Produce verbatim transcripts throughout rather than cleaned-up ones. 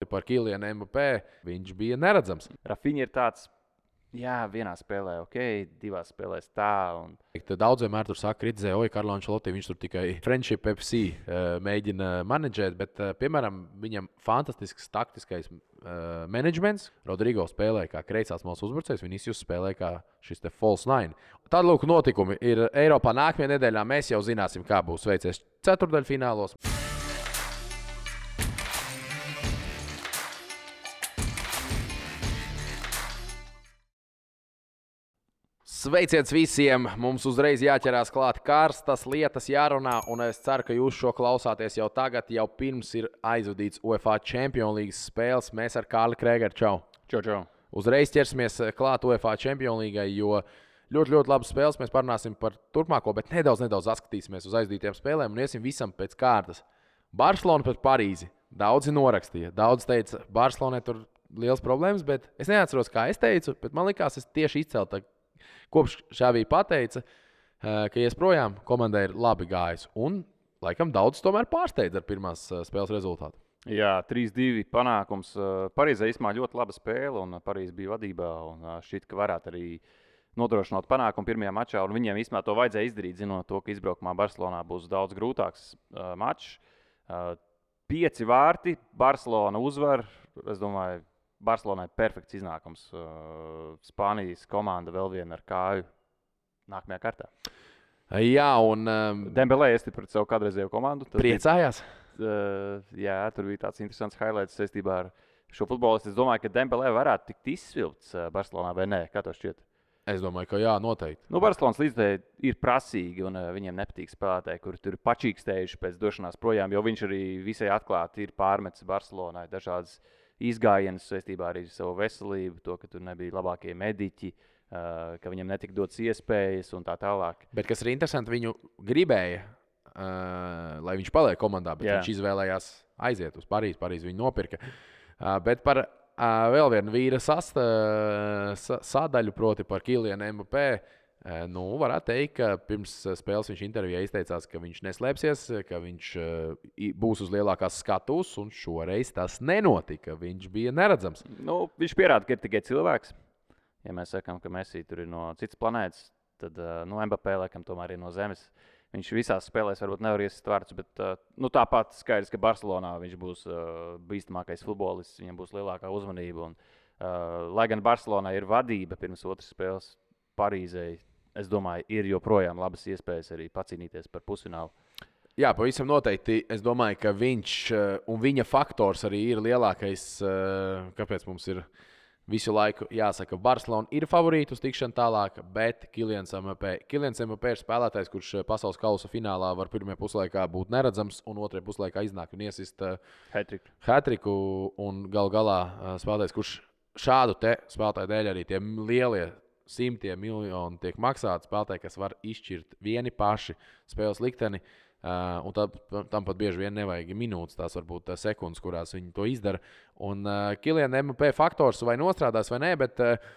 proti par Kylianu Mbappé, viņš bija neredzams. Rafinha ir tāds, jā, vienā spēlē, ok, divās spēlēs tā. Un... Daudz vienmēr tur saka, kritizē, oi, Karlo Ancelotti, viņš tur tikai friendship F C uh, mēģina menedžēt, bet, uh, piemēram, viņam fantastisks taktiskais uh, menedžments. Rodrigo spēlēja kā kreisās malas uzbrucējs, Vinicius spēlēja kā šis te false nine. Tad, lūk, notikumi ir Eiropā nākamajā nedēļā. Mēs jau zināsim, kā būs veicies ceturtdaļfinālos. Sveiciens visiem! Mums uzreiz jāķerās klāt karstas lietas, jārunā, un es ceru, ka jūs šo klausāties jau tagad, jau pirms ir aizvadīts UEFA Champions League spēles. Mēs ar Kārli Krēgeru, čau! Čau, čau! Uzreiz ķersimies klāt UEFA Champions League, jo ļoti, ļoti labas spēles. Mēs parunāsim par turpmāko, bet nedaudz, nedaudz atskatīsimies uz aizdītiem spēlēm un iesim visam pēc kārtas. Barcelona pret Parīzi. Daudzi norakstīja. Daudz teica, Barcelonai tur liels problēmas, bet es neatceros, kā es teicu, bet man likās, es tieši izceltu. Kopš Šāvī pateica, ka ies projām, komandai ir labi gājis. Un, laikam, daudz tomēr pārsteidz ar pirmās spēles rezultātu. Jā, trīs divi panākums. Parīzē īstenībā ļoti laba spēle, un Parīze bija vadībā. Šķiet, ka varētu arī nodrošināt panākumu pirmajā mačā. Viņiem īstenībā to vajadzēja izdarīt, zinot to, ka izbraukumā Barcelonā būs daudz grūtāks uh, mačs. Uh, pieci vārti, Barcelona uzvar. Es domāju, Barcelonai perfekts iznākums. Uh, Spānijas komanda vēl viena ar kāju nākamajā kārtā. Jā, un um, Dembelē iestiprināt pret savu kādreizējo komandu. Priecājās? Bija, uh, jā, tur bija tāds interesants highlights saistībā ar šo futbolistu. Es domāju, ka Dembelē varētu tikt izsvilts uh, Barcelonā vai nē. Kā tev šķiet? Es domāju, ka jā, noteikti. Nu, Barcelonas līdzekļi ir prasīgi, un uh, viņiem nepatīk spēlētāji, kuri tur ir pačīkstējuši pēc došanās projām, jo viņš arī visai atklāti ir pārmetis Barcelonai dažādas izgājienas saistībā arī ar savu veselību, to, ka tur nebija labākie mediķi, uh, ka viņam netika dotas iespējas un tā tālāk. Bet kas ir interesanti, viņu gribēja, uh, lai viņš paliek komandā, bet Jā. viņš izvēlējās aiziet uz Parīzi. Parīzi viņu nopirka. Uh, bet par uh, vēl vienu vīra sasta, sa, sadaļu, proti par Kylianu Mbappé. Nu, varētu teikt, ka pirms spēles viņš intervijā izteicās, ka viņš neslēpsies, ka viņš būs uz lielākās skatuves, un šoreiz tas nenotika. Viņš bija neredzams. Nu, viņš pierāda, ka ir tikai cilvēks. Ja mēs sakām, ka Messi tur ir no citas planētas, tad nu, Mbappé laikam tomēr ir no Zemes. Viņš visās spēlēs varbūt nevar iesist vārds, bet nu, tāpat skaidrs, ka Barcelonā viņš būs bīstamākais futbolists, viņam būs lielākā uzmanība. Un, lai gan Barcelonā ir vadība pirms otras spēles Parīzei, es domāju, ir joprojām labas iespējas arī pacīnīties par pusfinālu. Jā, pavisam noteikti. Es domāju, ka viņš un viņa faktors arī ir lielākais, kāpēc mums ir visu laiku jāsaka, Barcelona ir favorīti uz tikšanu tālāk, bet Kylians Mbappé. Kylians Mbappé ir spēlētājs, kurš pasaules kausa finālā var pirmajā puslaikā būt neredzams un otrajā puslaikā iznākt un iesist hat-triku. hat-triku un gal galā spēlētājs, kurš šādu te spēlētāju dēļ arī tie lielie simtiem miljonu tiek maksāti spēlētāji, kas var izšķirt vieni paši spēles likteni. Uh, un tā, tam pat bieži vien nevajag minūtes, tās varbūt sekundes, kurās viņi to izdara. Un uh, Kyliana Mbappé faktors vai nostrādās vai nē, bet, uh,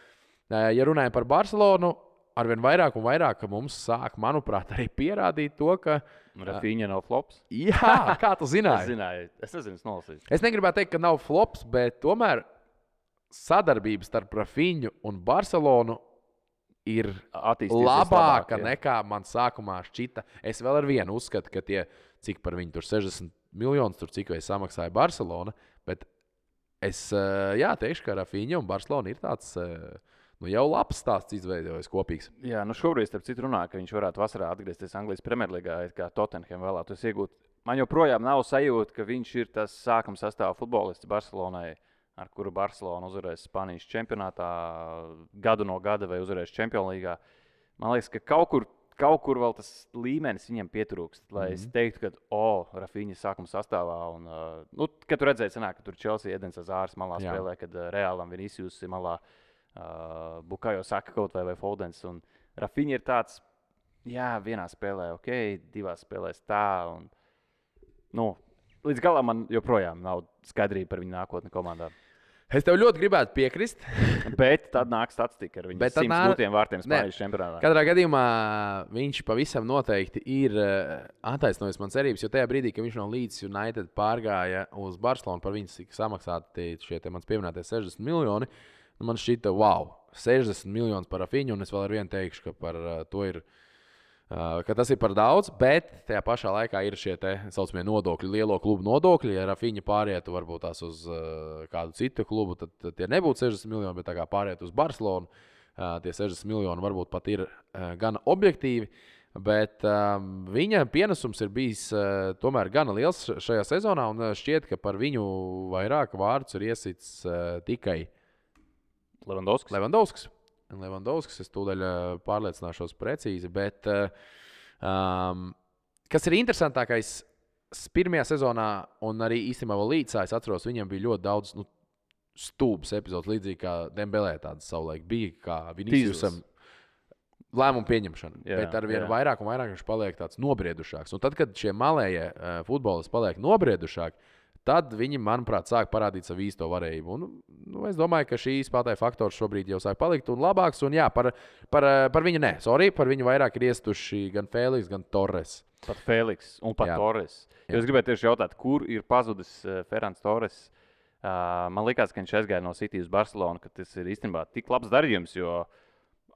ja runājam par Barcelonu, arvien vairāk un vairāk mums sāk, manuprāt, arī pierādīt to, ka Rafinha nav flops. Jā, kā tu zināji? Es zināju, es nezinu, es nolasīju. Es negribētu teikt, ka nav flops, bet tomēr sadarbības starp Rafinhu un Barcelonu ir labāka labāk, nekā man sākumā šķita. Es vēl ar vienu uzskatu, ka tie, cik par viņu tur sešdesmit miljonus, tur cik vai samaksāja Barcelona, bet es jā, teikšu, ka Rafinha un Barcelona ir tāds nu, jau labs stāsts izveidojis kopīgs. Jā, nu šobrīd starp citu runā, ka viņš varētu vasarā atgriezties Anglijas Premjerlīgā, kā Tottenham vēlētos iegūt. Man joprojām nav sajūta, ka viņš ir tas sākuma sastāvā futbolists Barcelonai, ar kuru Barcelona uzvarēs Spānijas čempionātā gadu no gada vai uzvarēs Champions Līgā. Man liekas, ka kaut kur, kaut kur vēl tas līmenis viņam pietrūkst, lai mm-hmm. es teiktu, ka, o, oh, Rafinha sākuma sastāvā. Un, uh, nu, kad tu redzēji, sanāk, ka tur Chelsea Edens Azārs malā Jā. spēlē, kad uh, Reālam Vinicius ir malā, uh, Bukayo Saka kaut vai vai Foldens. Un Rafinha ir tāds, jā, vienā spēlē, ok, divās spēlēs tā. Un, nu, līdz galam man joprojām nav skaidrība par viņu nākotni komandā. Es tev ļoti gribētu piekrist. Bet tad nāk statistika ar viņu simts nā... gūtiem vārtiem Spānijas čempionātā. Katrā gadījumā viņš pavisam noteikti ir attaisnojis man cerības, jo tajā brīdī, kad viņš no Leeds United pārgāja uz Barcelonu, par viņu tika samaksāti šie mans pieminētie sešdesmit miljoni, man šķita, wow, sešdesmit miljonus par Rafiņu, un es vēl ar vienu teikšu, ka par to ir. Uh, ka tas ir par daudz, bet tajā pašā laikā ir šie tā saucamie nodokļi, lielo klubu nodokļi. Ja Rafiņa pārietu varbūt tās uz uh, kādu citu klubu, tad, tad tie nebūtu sešdesmit miljoni, bet tā kā pārietu uz Barcelonu, uh, tie sešdesmit miljoni varbūt pat ir uh, gan objektīvi. Bet um, viņa pienesums ir bijis uh, tomēr gana liels šajā sezonā, un uh, šķiet, ka par viņu vairāk vārdus ir iesits uh, tikai Levandovskis. Levandovskis. Levandovskis, es tūdaļ pārliecināšos precīzi, bet um, kas ir interesantākais, pirmajā sezonā un arī īstenībā vēl līdzā, es atceros, viņam bija ļoti daudz nu, stūbas epizodes, līdzīgi kā Dembelē tādas savulaik bija, kā Viniciusam lēmumu pieņemšana, jā, bet ar vien jā. vairāk un vairāk viņš paliek tāds nobriedušāks. Un tad, kad šie malējie uh, futbolisti paliek nobriedušāki, tad viņi, manuprāt, sāk parādīt savu īsto varējību. Un, nu, es domāju, ka šī spēlētāja faktors šobrīd jau sāk palikt un labāks. Un, jā, par, par, par viņu ne. Sorry, par viņu vairāk ir iestuši gan Fēliks, gan Torres. Pat Fēliks un pat jā. Torres. Jo es gribēju tieši jautāt, kur ir pazudis Ferrans Torres. Uh, man liekas, ka viņš aizgāja no City uz Barcelonu, ka tas ir īstenībā tik labs darījums, jo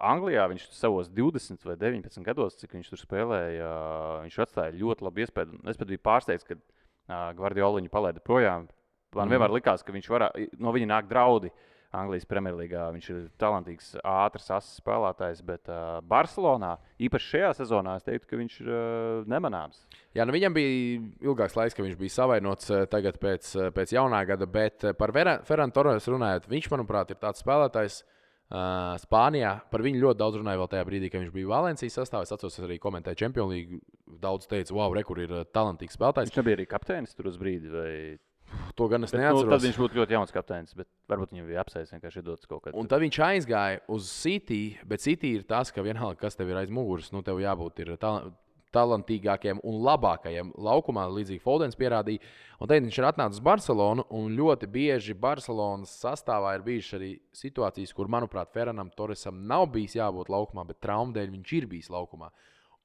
Anglijā viņš savos divdesmit vai deviņpadsmit gados, cik viņš tur spēlēja, viņš atstāja ļoti labu iespēju. Es pat biju pārsteigts, ka Gvardiola viņu palaida projām. Man mm. vienmēr likās, ka viņš varā, no viņa nāk draudi Anglijas Premjerlīgā. Viņš ir talantīgs, ātrs, asas spēlētājs, bet uh, Barcelonā, īpaši šajā sezonā, es teiktu, ka viņš ir uh, nemanāms. Jā, nu viņam bija ilgāks laiks, ka viņš bija savainots uh, tagad pēc, uh, pēc jaunā gada, bet uh, par Ferran Torres runājot, viņš, manuprāt, ir tāds spēlētājs uh, Spānijā. Par viņu ļoti daudz runāja vēl tajā brīdī, kad viņš bija Valencijas sastāvā. Es atceros, es arī komentēju Champions League. Daudz teica, wow, re, kur ir uh, talantīgs spēlētājs. Viņš nebija arī kapteinis tur uz brīdi, vai... To gan es bet, neatceros. Nu, tad viņš būtu ļoti jauns kapteinis, bet varbūt viņam bija apsēs vienkārši dots kaut kādā. Un tad viņš aizgāja uz City, bet City ir tas, ka vienalga, kas tev ir aiz muguras, nu tev jābūt ir tal talantīgākiem un labākajiem laukumā, līdzīgi Foldens pierādīja. Un tad viņš ir atnācis uz Barcelonu, un ļoti bieži Barcelonas sastāvā ir bijušas arī situācijas, kur, manuprāt, Ferranam Torresam nav bijis jābūt laukumā, bet traumu dēļ viņš ir bijis laukumā.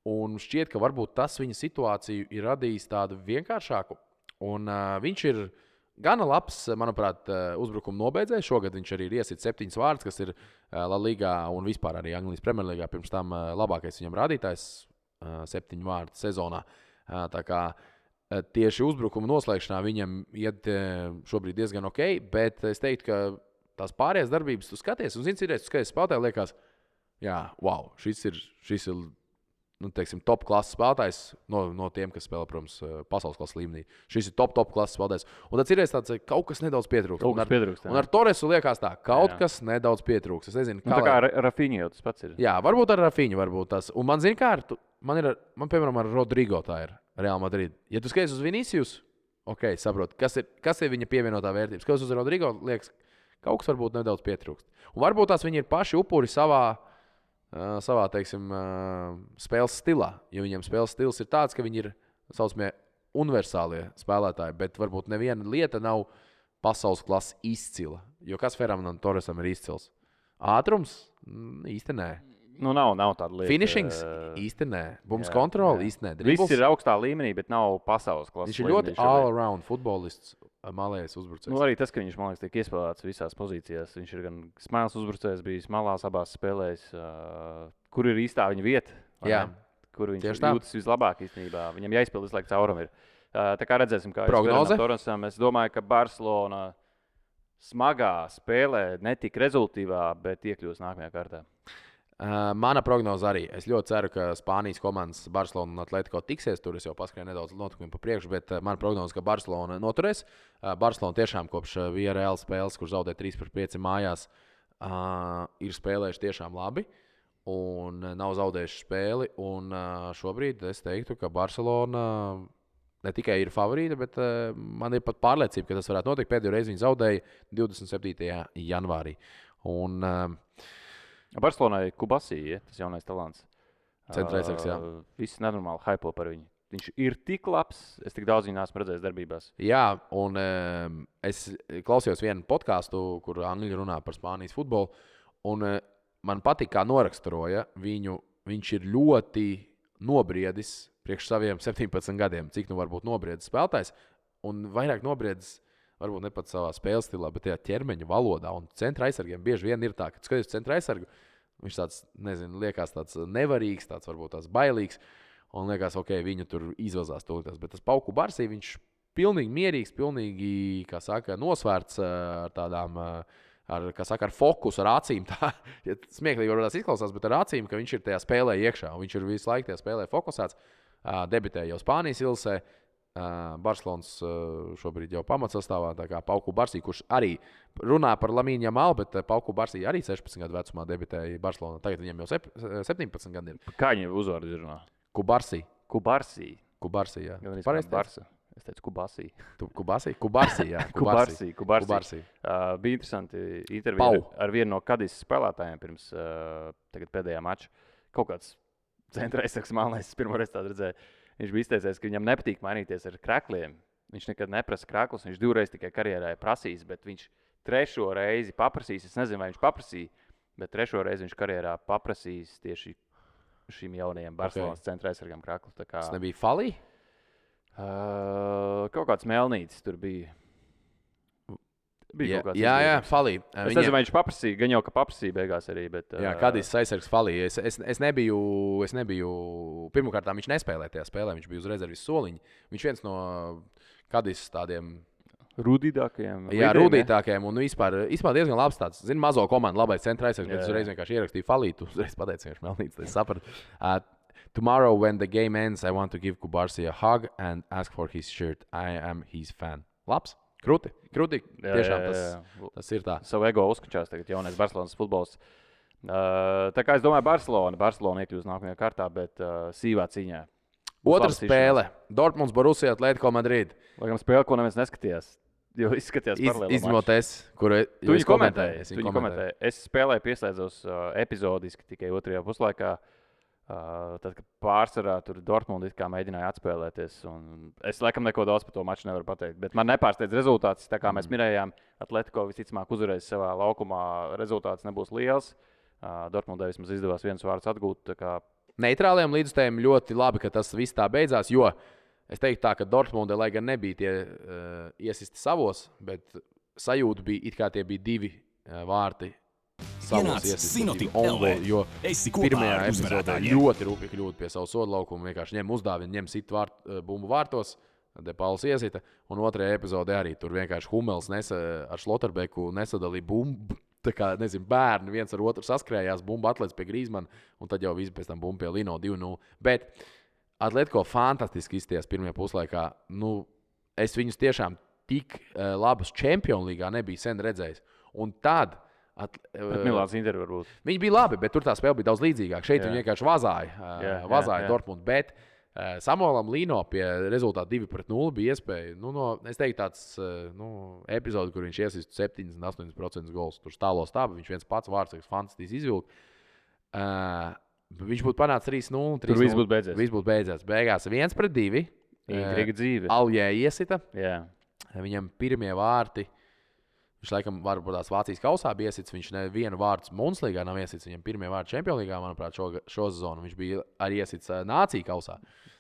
Un šķiet, ka varbūt tas viņa situāciju ir radījis tādu vienkāršāku. Un uh, viņš ir gana labs, manuprāt, uh, uzbrukuma nobeidzējs. Šogad viņš arī ir iesit septiņas vārdus, kas ir uh, La Ligā un vispār arī Anglijas Premjerlīgā. Pirms tam uh, labākais viņam rādītājs uh, septiņu vārdu sezonā. Uh, tā kā uh, tieši uzbrukuma noslēgšanā viņam iet uh, šobrīd diezgan ok, bet es teiktu, ka tās pārējās darbības tu skaties. Un zini, citreiz tu skaties spēlētāji, liekas, jā, wow, šis ir, šis ir nu, teiksim, top klases spēlētājs no, no tiem, kas spēlē, protams, pasaules klases līmenī. Šis ir top, top klases spēlētājs. Un tad ir tāds, ka kaut kas nedaudz pietrūkst. Kaut kas pietrūkst. Un ar, un ar Torresu liekas tā, kaut jā. kas nedaudz pietrūkst. Es nezinu, kā. Nu, tā kā ar Rafiņu jau tas pats ir. Jā, varbūt ar Rafiņu varbūt tas. Un man zina, kā ar, man ir, man piemēram ar Rodrigo tā ir Real Madrid. Ja tu skaties uz Vinicius, ok, saprot, kas ir, kas ir viņa pievienotā vērtības. Skaties uz Rodrigo, liekas, kaut kas varbūt nedaudz pietrūkst. Un varbūt tās viņi ir paši upuri savā Uh, savā, teiksim, uh, spēles stilā. Jo viņiem spēles stils ir tāds, ka viņi ir saucamie universālie spēlētāji, bet varbūt neviena lieta nav pasaules klases izcila. Jo kas Ferranam Torresam ir izcils? Ātrums? Mm, īsti nē. Nu, nav, nav tāda lieta. Finishings? Īsti nē. Bums kontroli? Īsti nē. Dribbles? Viss ir augstā līmenī, bet nav pasaules klases. Viņš ir ļoti all-around futbolists, malējais uzbrucējs. Nu, arī tas, ka viņš, man liekas, tiek iespēlēts visās pozīcijās. Viņš ir gan smēls uzbrucējs, bijis malās abās spēlēs. Uh, kur ir īstā viņa vieta? Jā. Kur viņš jūtas vislabāk īstenībā. Viņam jāizpild visu laiku caurumu ir. Uh, tā kā redzēsim, kā prognoze. Torresam. Es domāju, ka Barcelona smagā spēlē netika rezultīvā, bet iekļūs nākamajā kārtā. Uh, mana prognoze arī. Es ļoti ceru, ka Spānijas komandas Barcelona un Atletico tiksies. Tur es jau paskrēju nedaudz notikumiem pa priekšu, bet uh, mana prognoze, ka Barcelona noturēs. Uh, Barcelona tiešām kopš uh, Villarreal spēles, kur zaudēja trīs pret pieci mājās, uh, ir spēlējuši tiešām labi un uh, nav zaudējuši spēli. Un, uh, šobrīd es teiktu, ka Barcelona ne tikai ir favorīta, bet uh, man ir pat pārliecība, ka tas varētu notikt. Pēdējo reizi viņi zaudēja divdesmit septītajā janvārī. Un, uh, Barcelonai Kubasī, ja, tas jaunais talants. Centraizsargs, jā. Uh, viss nenormāli hypo par viņu. viņš ir tik labs. Es tik daudz viņu neesmu redzējis darbībās. Jā, un um, es klausījos vienu podkāstu, kur angļi runā par Spānijas futbolu. Un uh, man patīk, kā noraksturoja viņu. Viņš ir ļoti nobriedis priekš saviem septiņpadsmit gadiem, cik nu var būt nobriedis spēlētājs. Un vairāk nobriedis, varbūt ne pat savā spēles stilā, bet tajā ķermeņa valodā. Un centra aizsargiem bieži vien ir tā, ka skaties centra aizsargu, viņš tāds, nezinu, liekas tāds nevarīgs, tāds varbūt tāds bailīgs. Un liekas, ok, viņu tur izvazās tūlītās. Bet tas Pauku Barsī, viņš pilnīgi mierīgs, pilnīgi, kā saka, nosvērts ar tādām, ar, kā saka, ar fokusu, ar acīm. Tā, ja smieklīgi varbūt tās izklausās, bet ar acīm, ka viņš ir tajā spēlē iekšā. Viņš ir visu laiku tajā spēlē fokusēts. Debitēja jau Spānijas ilsē. Uh, Barcelonas uh, šobrīd jau pamatsastāvā, tā kā Pauku Barsī, kurš arī runā par Lamīnu Jamalu, bet uh, Pauku Barsī arī sešpadsmit gadu vecumā debitēja Barcelonā. Tagad viņam jau sep, septiņpadsmit gadi ir. Kā viņam uzvārds runā? Kubarsī. Kubarsī. Kubarsī, jā. Pareizi Barsa. Es teicu Kubasī. Kubasī? Kubarsī, jā. Kubarsī. Kubarsī. Kubarsī. Uh, bija interesanti intervija ar, ar vienu no Kadis spēlētājiem pirms uh, tagad pēdējā mača. Kaut kāds centra aizsargs malnais, es pirmo reizi tādu redzēju. Viņš bija izteicies, ka viņam nepatīk mainīties ar krekļiem. Viņš nekad neprasa kreklus, viņš divreiz tikai karjerā ir prasījis, bet viņš trešo reizi paprasīs. Es nezinu, vai viņš paprasīja, bet trešo reizi viņš karjerā paprasīs tieši šīm jaunajiem Barcelonas okay. centra aizsargam kreklu. Kā, tas nebija Falī? Uh, kaut kāds melnītis tur bija. Jā, jā, jā, Falī. Es Viņiem... nezinu, vai viņš paprasīja, gan jau, ka paprasīja beigās arī, bet... Jā, Kadis aizsargs Falī. Es, es, es, nebiju, es nebiju... Pirmkārt, viņš nespēlēja tajā spēlē, viņš bija uz rezervis soliņa. Viņš viens no Kadis tādiem... Rūdītākajiem. Jā, rūdītākajiem un vispār, vispār diezgan labs tāds. Zinu, mazo komandu, labais centra aizsargs, bet es uzreiz vienkārši ierakstīju Falī. Tu uzreiz pateici, viņš melnīts, tad es sapratu. Uh, Tomorrow, when the game ends, I want to give Kubarsī a hug and ask for his shirt. I am his fan. Labs? Krūti, krūti, tiešām jā, jā, jā. Tas, tas ir tā. Savu ego uzkačās tagad jaunais Barcelonas futbols. Uh, tā kā es domāju, Barcelona, Barcelona iekļūs nākamajā kārtā, bet uh, sīvā cīņā. Otra spēle. Dortmunds, Borussia, Atletico Madrid. Laikam spēle, ko neviens neskatījās. Jo izskatījās paralēli. Izņemot es, kuru tu viņu komentēji. Tu viņu komentēji. Es spēlēju pieslēdzos uh, epizodiski tikai otrajā puslaikā. Uh, tad, kad pārsvarā tur Dortmund it kā mēģināja atspēlēties. Es laikam neko daudz par to maču nevaru pateikt. Bet man nepārsteidz rezultāts. Tā kā mēs mm. minējām, Atletico visticamāk uzvarēs savā laukumā. Rezultāts nebūs liels. Uh, Dortmundai vismaz izdevās viens vārds atgūt. Kā... Neitrāliem līdzstājiem ļoti labi, ka tas viss tā beidzās. Jo es teiktu tā, ka Dortmundai, lai gan nebija tie uh, iesisti savos, bet sajūta bija, it kā tie bija divi uh, vārti. Savos iesistības ongoļi, jo pirmajā epizodē ļoti rūpīgi kļūt pie savu sodu laukumu, vienkārši ņem uzdāvinu, ņem sit vārt, bumbu vārtos, Depauls iesita, un otrajā epizodē arī tur vienkārši Hummels nesa, ar Šloterbeku nesadalīja bumbu, tā kā, nezinu, bērni viens ar otru saskrējās, bumba atlēc pie Grīzmana, un tad jau visi pēc tam bumbu pie Lino divi nulle. Bet Atletico fantastiski izties pirmajā puslaikā, nu, es viņus tiešām tik uh, labus Champions līgā nebiju sen redzējis, un tad At, uh, Milāns Inter varbūt. Viņi bija labi, bet tur tā spēle bija daudz līdzīgāka. Šeit jā. Viņi vienkārši vazāja, uh, jā, vazāja jā, jā. Dortmundu. Bet uh, Samuelam Lino pie rezultāta divi pret nulli bija iespēja. Nu, no, es teiktu, tāds uh, nu, epizode, kur viņš iesist septiņdesmit astoņi procenti gols. Tur stālo stāba, viņš viens pats vārds, fantastiski izvilka. Uh, viņš būtu panācis trīs nulle. Tur viss būtu beidzies. Viss būtu beidzies. Beigās viens pret divi. Intriga dzīve. Aljē iesita. Jā. Viņam pirmie vārti. Viņš laikam varbūt tās Vācijas kausā bija iesits. Viņš nevienu vārdu Munslīgā nav iesits. Viņam pirmie vārdi Čempionlīgā, manuprāt, šo, šo sezonu. Viņš bija arī iesits uh, Nāciju kausā.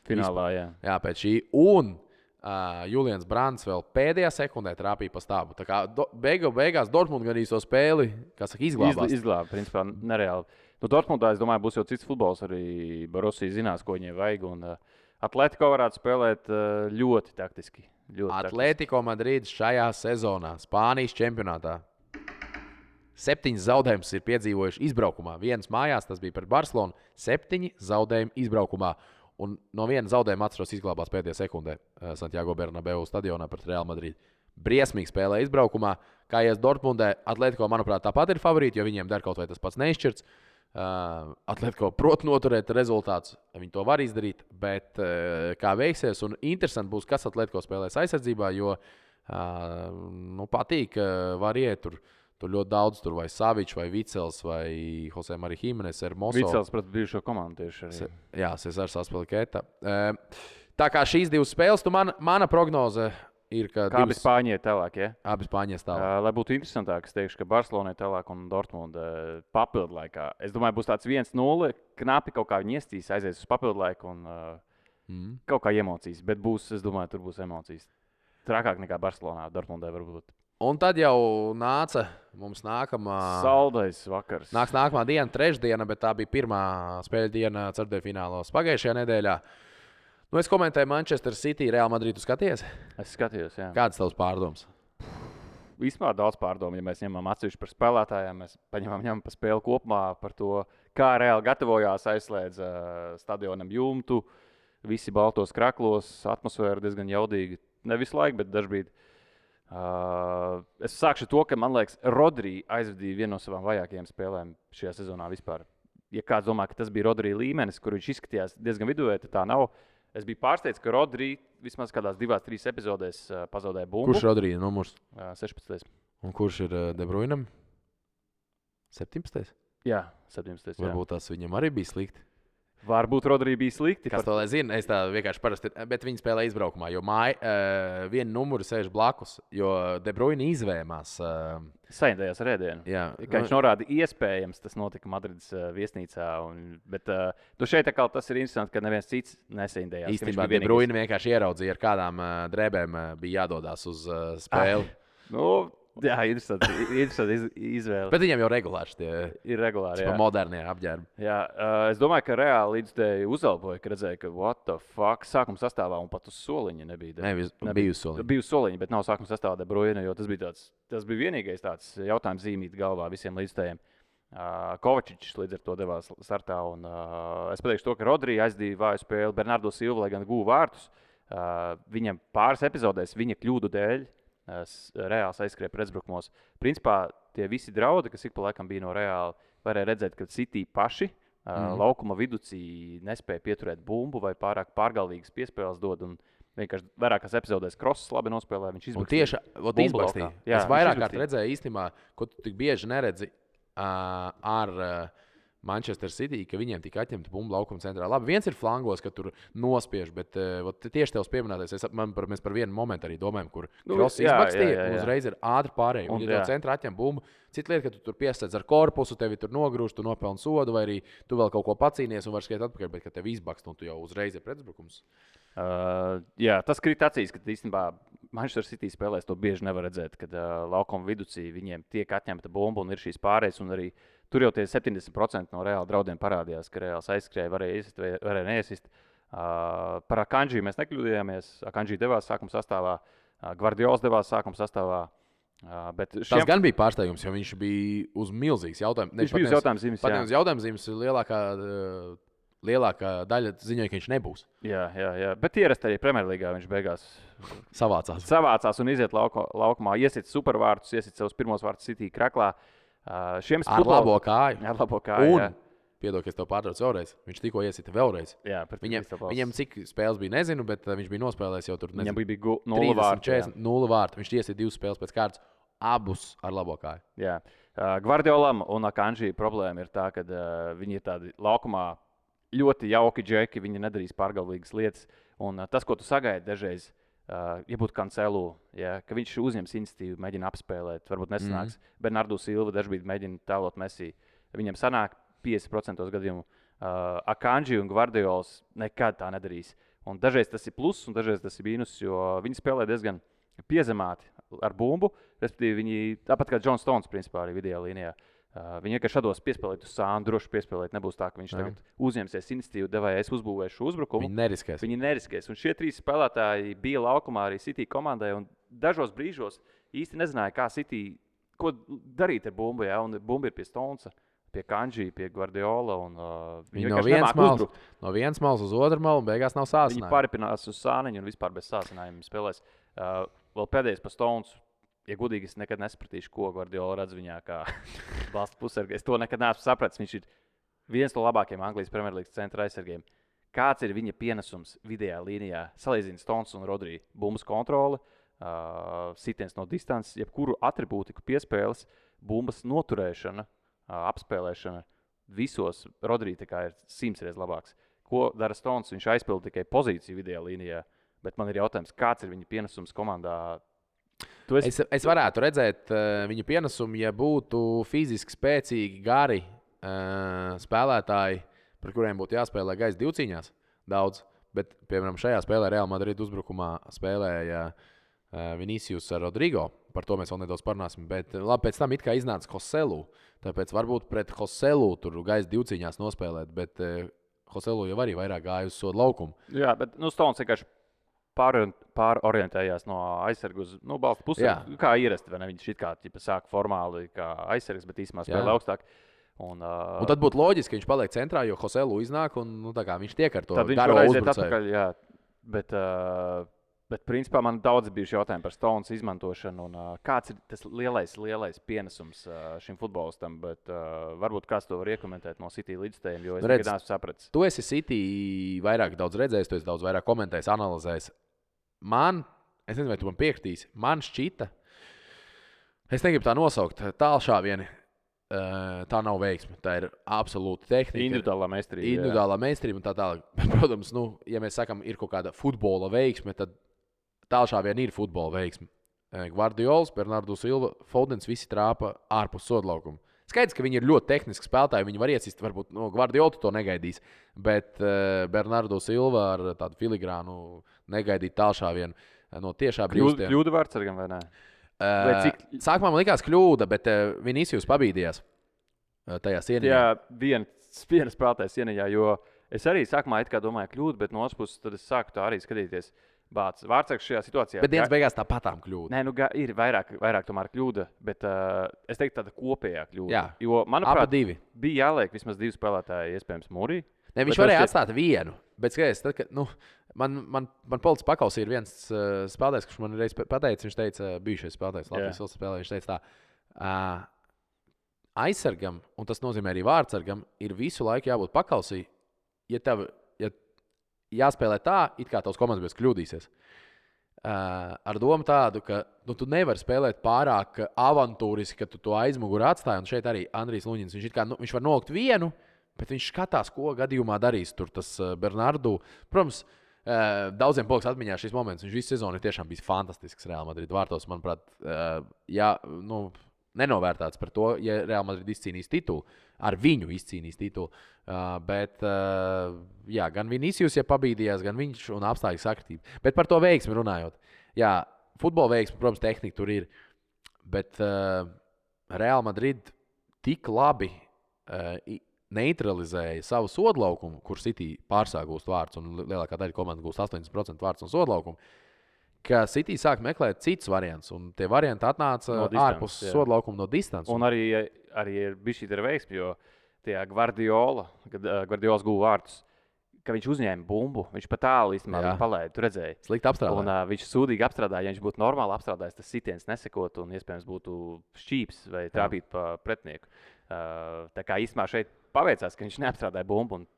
Finālā, jā. Jā, pēc šī. Un uh, Julians Brands vēl pēdējā sekundē trāpīja pa stāvu. Tā kā do, beigu, beigās Dortmund gan īsto spēli, kā saka, izglābās. Iz, izglāba, principā, nereāli. Nu, Dortmundā, es domāju, būs jau cits futbols. Arī Borussia zinās, ko viņiem vajag. Un, uh, Atletico varētu spēlēt uh, ļoti taktiski. Atletico Madrid šajā sezonā, Spānijas čempionātā, septiņas zaudējumus ir piedzīvojuši izbraukumā. Vienas mājās, tas bija pret Barcelonu, septiņi zaudējumi izbraukumā. Un no viena zaudējuma atceros izglābās pēdējā sekundē Santiago Bernabeu stadionā pret Real Madrid. Briesmīgi spēlē izbraukumā. Kā ies Dortmundē, Atletico, manuprāt, tāpat ir favorīti, jo viņiem der kaut vai tas pats neizšķirts. Uh, Atletico prot noturēt rezultātus, viņi to var izdarīt, bet uh, kā veiksies, un interesanti būs, kas Atletico spēlēs aizsardzībā, jo uh, nu, patīk, uh, var iet tur, tur ļoti daudz, tur vai Savičs, vai Vicels, vai Jose Marija Jimenez, Hermoso. Vicels pret bijušo komandu tieši arī. Se, jā, Cesars Aspilicueta. Uh, Tā kā šīs divas spēles, tu man, mana prognoze ir, ka Kā divas, abi Spāņi ir tālāk, ja? abi Spāņies tālāk. Uh, lai būtu interesantāk, es teikšu, ka Barcelona ir tālāk un Dortmunda uh, papildu laikā. Es domāju, būs tāds viens nulle, knapi kaut kā viņi iestīs, aizies uz papildu laiku un uh, mm. kaut kā emocijas. Bet būs, es domāju, tur būs emocijas. Trakāk nekā Barcelonā, Dortmundē varbūt. Un tad jau nāca mums nākamā. Saldais vakars. Nāks nākamā diena, trešdiena, bet tā bija pirmā spēļu diena ceturtdaļfinālos pagājušajā nedēļā. Nu, es komentēju Manchester City, Real Madrid. Tu skaties? Es skatījos, jā. Kādas tavas pārdomas? Vispār daudz pārdomu, ja mēs ņemam atsevišķi par spēlētājiem, mēs paņemam ņemam par spēli kopumā, par to, kā Real gatavojās, aizslēdz uh, stadionam jumtu, visi baltos kraklos, atmosfēra diezgan jaudīga. Ne visu laiku, bet dažbrīd. Uh, es sākšu to, ka, man liekas, Rodri aizvadīja vienu no savām vajākajām spēlēm šajā sezonā vispār. Ja kāds domā, ka tas bija Rodri līmenis, kur viņš izskatījās diezgan viduvēji, tad tā nav. Es biju pārsteigts, ka Rodri vismaz kādās divās, trīs epizodēs uh, pazaudēja bumbu. Kurš Rodri ir numurs? Uh, sešpadsmitais. Un kurš ir uh, De Bruynem? septiņpadsmitais. Jā, septiņpadsmitais. Varbūt tas viņam arī bija slikti. Varbūt Rodri bija slikti. Kas to lai zina? Es tā vienkārši parasti, bet viņi spēlē izbraukumā, jo māja uh, viena numura sēž blakus, jo De Bruyne izvēmās. Uh, Saindējās ar ēdienu. Jā. Kā viņš norāda, iespējams tas notika Madrides uh, viesnīcā. Un, bet uh, tu šeit atkal tas ir interesanti, ka neviens cits nesaindējās. Īstenībā De Bruyne vienkārši ieraudzīja, ar kādām uh, drēbēm uh, bija jādodās uz uh, spēli. Ah, nu, jā, interesanti, interesanti iz, izvēle. Bet viņiem jau regulāri tie ir regulāri. Jā, modernie apģērbi. Jā, uh, es domāju, ka reāli līdzdēļ uzalboja, ka redzēja, ka what the fuck, sākuma sastāvā un pat uz soliņa nebija. Ne, nebija, bija uz soliņa. Bija uz soliņa, bet nav sākuma sastāvā De Bruyne, jo tas bija, tāds, tas bija vienīgais tāds jautājums zīmīt galvā visiem līdzdējiem. Uh, Kovačičs līdz ar to devās startā. Un, uh, es pateikšu to, ka Rodri aizdīja vāju spēli, Bernardo Silva, lai gan guva vārtus. Uh, viņam pāris epizodēs viņa kļūdu dēļ Reāls aizskrēja pretuzbrukumos. Principā tie visi draudi, kas ik pa laikam bija no Reāla, varēja redzēt, ka City paši mm. uh, laukuma viducī nespēja pieturēt bumbu vai pārāk pārgalvīgas piespēles dod. Un vienkārši vairākās epizodēs Kross labi nospēlēja, viņš izbakstīja. Tieši izbakstīja. Es vairāk kārt redzēju īstenībā, ko tu tik bieži neredzi uh, ar uh, Manchester City, ka viņiem tika atņemta bumba laukuma centrā. Labi, viens ir flangos, ka tur nospiež, bet uh, tieši tevs pieminētais, es, man, par, mēs par vienu momentu arī domājam, kur nu, Kross izbakstīja un uzreiz ir ātri pārēj. Un, un ja tev centrā atņem bumbu, cita lieta, ka tu tur piesēdz ar korpusu, tevi tur nogrūž, tu nopelni sodu, vai arī tu vēl kaut ko pacīnies un vari skriet atpakaļ, bet ka tev izbakst un tu jau uzreiz ir pretuzbrukums. Uh, jā, tas krīt acīs, ka īstenībā Manchester City spēlēs to bieži nevar redzēt, kad uh, laukuma viducī viņiem tiek atņemta bumba un ir šīs pārējas. Un arī tur jau tie septiņdesmit procenti no Reāla draudiem parādījās, ka Reāls aizskrēja, varēja iesist vai varēja neiesist. Uh, par Akanji mēs nekļūdījāmies. Akanji devās sākuma sastāvā, uh, Gvardiols devās sākuma sastāvā. Uh, šiem... Tas gan bija pārsteigums, jo viņš bija uz milzīgas jautājumas. Viņš bija uz jautājums zīmes. Pat uz jautājums zīmes lielākā, uh, lielākā daļa ziņoja, ka viņš nebūs. Jā, jā, jā. Bet ierast arī Premjerlīgā viņš beigās savācās. Savācās un iziet lauko, laukumā, iesit supervārtus, iesit savus pirmos vārtus City kraklā. Uh, šiem ar futbol... labo kāju. Ar labo kāju, un, piedod, ka es tev pārtraucu vēlreiz. Viņš tikko iesita vēlreiz. Jā, viņam, viņam cik spēles bija, nezinu, bet viņš bija nospēlējis jau tur, nezinu, viņam bija nulle vārtu. četrdesmit, nulle vārtu. Viņš iesita divas spēles pēc kārtas, abus ar labo kāju. Jā. Uh, Gvardiolam un Akanji problēma ir tā, ka uh, viņi ir tādi laukumā ļoti jauki džeki, viņi nedarīs pārgalvīgas lietas. Un uh, tas, ko tu sagaidi dažreiz, uh, ja būtu Cancelu, ja, ka viņš uzņems iniciatīvu, mēģina apspēlēt, varbūt nesanāks. Mm. Bernardo Silva dažbrīd mēģina tēlot Messi. Viņam sanāk piecdesmit procenti gadījumu. Uh, Akanji un Gvardiols nekad tā nedarīs. Un dažreiz tas ir pluss, un dažreiz tas ir mīnus, jo viņi spēlē diezgan piezemāti ar bumbu. Respektīvi, viņi tāpat kā John Stones, principā, arī vidējā līnijā. Uh, viņi vienkārši šādos piespēlēt uz sānu, droši piespēlēt. Nebūs tā, ka viņš Jā. tagad uzņemsies iniciatīvu, devēja, es uzbūvēšu uzbrukumu. Viņi neriskēs. Viņi neriskēs. Un šie trīs spēlētāji bija laukumā arī City komandai. Un dažos brīžos īsti nezināja, kā City, ko darīt ar bumbu. Ja? Un bumba ir pie Stonesa, pie Kanji, pie Guardiola. Un, uh, viņi viņi no, viens mals, no vienas malas uz otru malu un beigās nav sācinājumi. Viņi pāripinās uz sāniņu un vispār bez sācinājumiem spēlēs. Uh, vēl pēdējais pa Stonesu. Ja godīgi, es nekad nesapratīšu, ko Guardiola redz viņā kā balsta pusargi. Es to nekad neesmu sapratis. Viņš ir viens no labākajiem Anglijas Premjerlīgas centra aizsargiem. Kāds ir viņa pienesums vidējā līnijā? Salīdzina Stones un Rodri. Bumbas kontrole, uh, sitiens no distances, jebkuru atribūtiku piespēles, bumbas noturēšana, uh, apspēlēšana. Visos Rodri tā kā ir simts reizes labāks. ko dara Stones. Viņš aizpilda tikai pozīciju vidējā līnijā. Bet man ir jautājums, kāds ir viņa pienesums komandā? Esi... Es, es varētu redzēt uh, viņa pienesumu, ja būtu fiziski spēcīgi, gari uh, spēlētāji, par kuriem būtu jāspēlē gaisa divcīņās daudz. Bet, piemēram, šajā spēlē Real Madrid uzbrukumā spēlēja uh, Vinicius ar Rodrigo. Par to mēs vēl nedaudz parunāsim. Bet labi, pēc tam it kā iznāca Joselu. Tāpēc varbūt pret Joselu tur gaisa divcīņās nospēlēt. Bet uh, Joselu jau arī vairāk gāja uz sodu laukumu. Jā, bet nu, Stones vienkārši pārorientējās no aizsargu uz nu, balstu pusi. Kā ierasti, vai ne? Viņš it kā ķipa, sāk formāli kā aizsargs, bet īstenībā spēlē augstāk. Un, uh, un tad būtu loģiski, ka viņš paliek centrā, jo Joselu iznāk un nu, tā kā viņš tiek ar to garo uzbrucēju. Tad viņš var aiziet atpakaļ, jā. Bet, uh, bet principā man daudz bijuši jautājumi par Stones izmantošanu un uh, kāds ir tas lielais, lielais pienesums uh, šim futbolistam, bet uh, varbūt kāds to var iekomentēt no City līdzstējiem, jo es Redz, nekad neesmu sapratis. Tu esi City vairāk daudz redzējis, tu esi daudz vairāk komentējis, analizējis. Man, es nezinu, vai tu man piekritīsi, man šķita, es negribu tā nosaukt, tālšāvieni. Uh, tā nav veiksme. Tā ir absolūta tehnika. Individuālā meistarība. Individuālā meistarība un tā tālāk. Protams, nu, ja mēs sakām, ir kaut kāda futbola veiksme, tad tālšāvieni ir futbola veiksme. Gvardiols, Bernardo Silva, Fodens visi trāpa ārpus sodlaukuma. Skaidrs, ka viņi ir ļoti tehniski spēlētāji. Viņi var iesist, varbūt no Gvardiolu to negaidīs. Bet uh, Bernardo Silva ar tādu filigrānu negaidīt tālšāvienu no tiešā brīvstiem. Kļūda vārdsargam vai ne? Uh, cik... Sākumā man likās kļūda, bet uh, Vinicius pabīdījās uh, tajā sieniņā. Jā, viens, viens spēlētājs sieniņā, jo es arī sākumā it kā domāju kļūdu, bet no otras puses tad es sāku tā arī skatīties. Bāc, vārdsargs šajā situācijā. Bet dienas beigās tā patām kļūda. Nē, nu ir vairāk, vairāk tomēr kļūda, bet uh, es teiktu tāda kopējā kļūda. Jā, jo, manuprāt, divi. Bija jāliek vismaz divi spēlētāji, iespējams, mūrī. Ne, viņš varēja šķiet... atstāt vienu, bet skaties, tad, kad, nu, Man, man, man policis pakausī ir viens uh, spēlētājs, kurš man reiz pateica, viņš teica, bijušais spēlētājs, Latvijas valsts spēlē, viņš teica tā, uh, aizsargam, un tas nozīmē arī vārdsargam, ir visu laiku jābūt pakausī, ja tev ja jāspēlē tā, it kā tavs komandas bez kļūdīsies. Uh, ar domu tādu, ka nu, tu nevari spēlēt pārāk avantūriski, ka tu to aizmuguri atstāji, un šeit arī Andrijs Luņins, viņš, kā, nu, viņš var nolikt vienu, bet viņš skatās, ko gadījumā darīs tur tas uh, Bernardu. Protams, Uh, daudziem paliks atmiņā šis moments. Viņš visu sezonu ir tiešām bijis fantastisks Real Madrid vārtos. Manuprāt, uh, jā, nu, nenovērtāts par to, ja Real Madrid izcīnīs titulu. Ar viņu izcīnīs titulu. Uh, bet, uh, jā, gan Vinicius, ja pabīdījās, gan viņš un apstākļu sakritība. Bet par to veiksmi runājot. Jā, futbola veiksmi, protams, tehnika tur ir. Bet uh, Real Madrid tik labi uh, neutralizēja savu sodlaukumu, kur City pārsāk gūst vārds, un lielākā daļa komandas gūst astoņdesmit procenti vārds un sodlaukumu, ka City sāk meklēt citus variantus, un tie varianti atnāca no distance, ārpus jā. Sodlaukuma no distances. Un arī, arī ir bijis šī veiksme, jo tajā Gvardiola, kad uh, Gvardiols guva vārdus, ka viņš uzņēma bumbu, viņš pat tālu īstenībā palaida, tu redzēji. Slikti apstrādāja. Un uh, viņš sūdīgi apstrādāja, ja viņš būtu normāli apstrādājis, tas sitiens nesekot un iespējams būtu šķīps vai trāpīt pa pretinieku. Uh, tā kā īstenībā šeit paveicās, ka viņš neapstrādāja bumbu un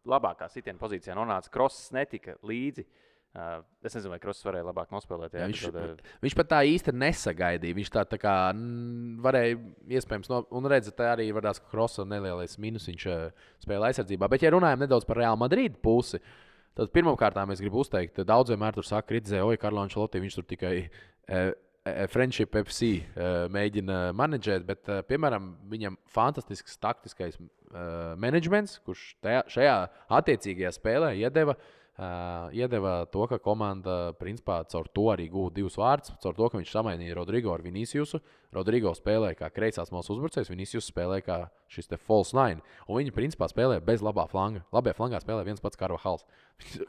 labākā sitiena pozīcijā nonāca. Crosses netika līdzi. Uh, es nezinu, vai Crosses varēja labāk nospēlēt. Jā, jā, viņš, tad, viņš pat tā īsti nesagaidīja. Viņš tā, tā kā n, varēja iespējams, no, un redzēt, tā arī varās, ka Crosses nelielais minusiņš spēlē aizsardzībā. Bet, ja runājam nedaudz par Real Madrid pusi, tad pirmkārt es gribu uzteikt, daudz vienmēr tur saka, kritizē, oi, Carlo Ancelotti, viņš tur tikai eh, Friendship F C eh, mēģina menedžēt, bet, eh, piemēram, viņam fantastisks taktiskais eh, menedžments, kurš tajā, šajā attiecīgajā spēlē iedeva Uh, iedeva to, ka komanda principā caur to arī gūta divus vārdus, caur to, ka viņš samainīja Rodrigo ar Viniciusu. Rodrigo spēlēja kā kreisās malas uzbrucējs, Vinicius spēlēja kā šis te false nine. Un viņi principā spēlēja bez labā flanga. Labajā flangā spēlēja viens pats Carvajals.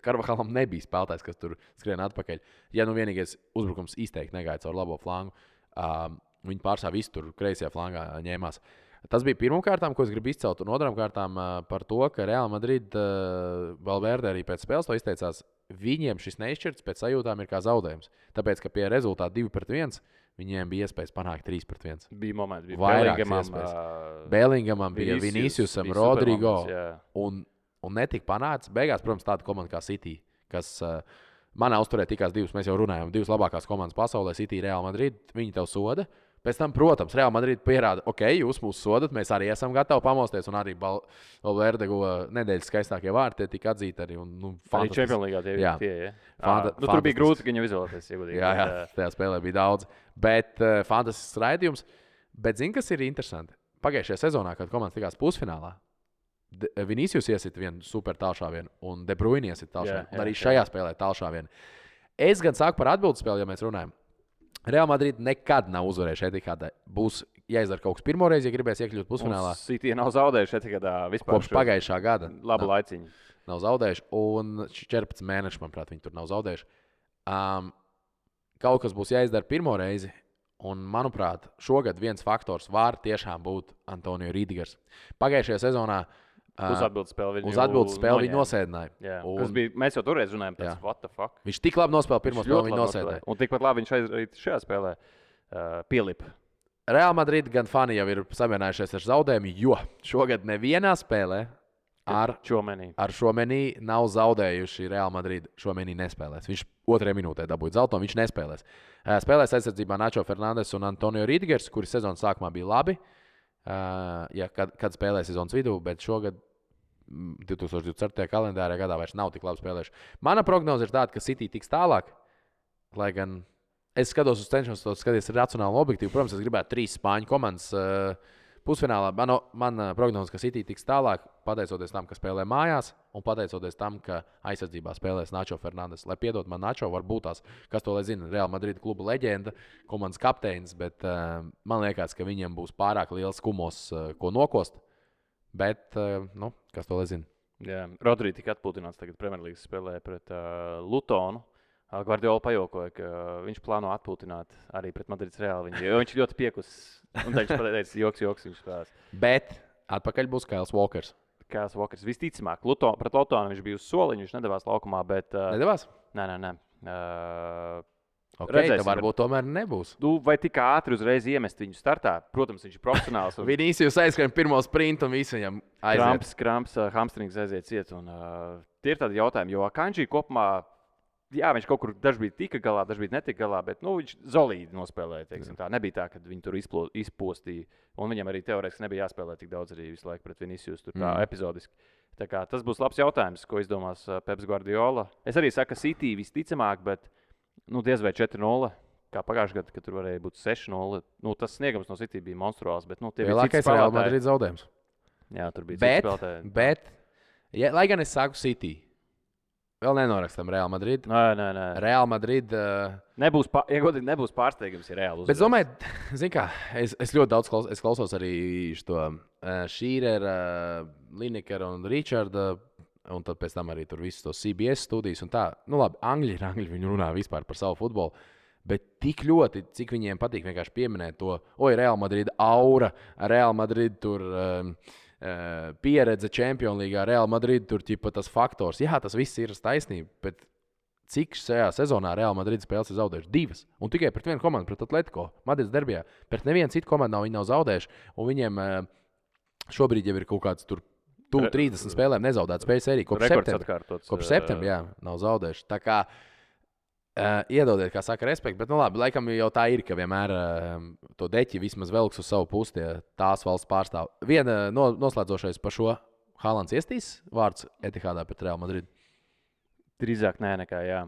Carvajalam nebija spēlētājs, kas tur skrien atpakaļ. Ja nu vienīgais uzbrukums izteikti negāja caur labo flangu, uh, viņi pārstāv visu tur kreisajā flangā ņēmās. Tas bija pirmām kārtām, ko es gribu izcelt, un otrām kārtām uh, par to, ka Real Madrid, uh, Valverde arī pēc spēles to izteicās, viņiem šis neizšķirts pēc sajūtām ir kā zaudējums. Tāpēc, ka pie rezultāta divi pret viens viņiem bija iespējas panākt trīs pret viens. Bija momenti, bija vairākas iespējas. Uh, Bellingamam bija Viniciusam, Rodrigo, un, un netika panāts. Beigās, protams, tāda komanda kā City, kas uh, manā uzturē tikās divas, mēs jau runājām, divas labākās komandas pasaulē, City, Real Madrid, viņi tev soda. Pēc tam, protams, Real Madrid pierāda, ok, jūs mūs sodat, mēs arī esam gatavi pamosties. Un arī Valverde guva nedēļas skaistākie vārti, tie tika atzīti arī. Un, nu, arī Champions League tie jā. tie, ja? Fanta, nu, tur bija grūti viņu izvēlēties. Jā, jā, tajā spēlē bija daudz. Bet uh, fantastisks raidījums. Bet zini, kas ir interesanti? Pagājušajā sezonā, kad komandas tikās pusfinālā, Vinicius iesit vienu super tālšāvienu un De Bruyne iesit tālšāvienu. Un arī šajā spēlē tālšāvienu. Es gan sāku par atbildes spēli, ja mēs runājam. Real Madrid nekad nav uzvarējuši Etihādē. Būs jāizdara kaut kas pirmo reizi, ja gribēs iekļūt pusfinālā. City nav zaudējuši Etihadā vispār. Kopš pagājušā gada. Labu laiciņu. Nav zaudējuši. Un četrpadsmit mēneši, manuprāt, viņi tur nav zaudējuši. Um, kaut kas būs jāizdara pirmo reizi. Un, manuprāt, šogad viens faktors var tiešām būt Antonio Rīdigers. Pagājušajā sezonā Uz atbildes spēli viņu, uz atbildes spēli viņu nosēdināja. Un... Bija, mēs jau toreiz runājām, tas what the fuck. Viņš tik labi nospēlēja pirmo spēli, viņu nosēdināja. Un tikpat labi viņš arī šajā spēlē uh, pielipa. Real Madrid gan fani jau ir samierinājušies ar zaudējumu, jo šogad nevienā spēlē ar šo menī nav zaudējuši Real Madrid. Šo menī nespēlēs. Viņš otrajā minūtē dabūja zelta, un viņš nespēlēs. Spēlēs aizsardzībā Nacho Fernandes un Antonio Rīdigers, kuri sezonas sākumā bija labi. Uh, ja, kad, kad spēlēja sezonas vidū, bet šogad divtūkstoš divdesmit ceturtajā kalendārā gadā vairs nav tik labi spēlējuši. Mana prognoze ir tāda, ka City tiks tālāk, lai gan es skatos uz cenšanos to skatīties racionāli un objektīvi. Protams, es gribētu trīs spāņu komandas uh, pusfinālā. Man, man prognoze, ka City tiks tālāk, pateicoties tam, ka spēlē mājās, un pateicoties tam, ka aizsardzībā spēlēs Nacho Fernandes. Lai piedod man Nacho, varbūt tās, kas to lai zina, Real Madrid kluba leģenda, komandas kapteinis, bet uh, man liekas, ka viņiem būs pārāk liels kumos, uh, ko nokost. Bet, uh, nu, kas to lai zina? Jā, Rodri tika atpūtināts tagad Premjerlīgas spēlē pret uh, Lutonu. Guardiola pajokoja, ka viņš plāno atpūtināt arī pret Madrids Reāli. Viņu, jo viņš ļoti piekus. Un viņš pateica, joks, joks viņš spēlēs. Bet atpakaļ būs Kails Walkers. Kails Walkers visticamāk. Luton, pret Lutonu viņš bija uz soliņa, viņš nedavās laukumā, bet... Uh, nedavās? Nē, nē, nē. Uh, ok, tad varbūt tomēr nebūs. Nu, vai tik ātri uzreiz iemest viņu startā? Protams, viņš ir profesionāls. Un... Vinicius aizskrien pirmo sprintu un visu viņam aiziet. Kramps, kramps, uh, hamstrings aiziet ciet. Un, uh, tie ir tādi jautājumi, jo Kanji kopumā... Jā, viņš kaut kur dažkārt tika galā, dažkārt netika galā, bet nu, viņš solīdi nospēlēja. Teiksim, tā nebija tā, ka viņi tur izplo, izpostīja. Un viņam arī teorētiski nebija jāspēlē tik daudz arī visu laiku pret Vinicius, tur tā mm. epizodiski. Tā kā, tas būs labs jautājums, ko izdomās Peps Guardiola. Es arī saku, ka City visticamāk, bet nu, diez vai četri nulle. Kā pagājušajā gadā, kad tur varēja būt seši nulle. Nu, tas sniegums no City bija monstruāls. Bet, nu, lielākais Real Madrid zaudējums. Jā, tur bija bet, citi spēlētāji. Bet, ja, lai gan es saku City. Vēl nenorakstam Real Madrid. Nē, nē, nē. Real Madrid. Uh... Nebūs, pār, ja godīgi, nebūs pārsteigums, ja Real uzvarēs. Bet, domāju, zin kā, es, es ļoti daudz klausos, es klausos arī šo uh, Šīrera, uh, Linekera un Richarda, un tad pēc tam arī tur visus tos C B S studijas un tā. Nu labi, angļi ir angļi, viņi runā vispār par savu futbolu. Bet tik ļoti, cik viņiem patīk vienkārši pieminēt to, oi, Real Madrid aura, Real Madrid tur... Um, pieredze Champions League, Real Madrid, tur ķipa tas faktors. Jā, tas viss ir taisnība, bet cik šajā sezonā Real Madrid spēles ir zaudējuši? Divas. Un tikai pret vienu komandu, pret Atletico, Madrids derbijā. Pret nevienu citu komandu nav, viņi nav zaudējuši. Un viņiem šobrīd jau ir kaut kāds tur tuvu trīsdesmit spēlēm nezaudēts spēļu sēriju. Kopš septembra. Kopš septembra, jā, nav zaudējuši. Tā kā Uh, iedodiet, kā saka, respektu, bet, nu labi, laikam jau tā ir, ka vienmēr uh, to deķi vismaz velks uz savu pusi, tie tās valsts pārstāv. Viena no, noslēdzošais par šo Haalands iestīs vārds Etihādā pret Real Madrid? Drīzāk nē, nekā jā.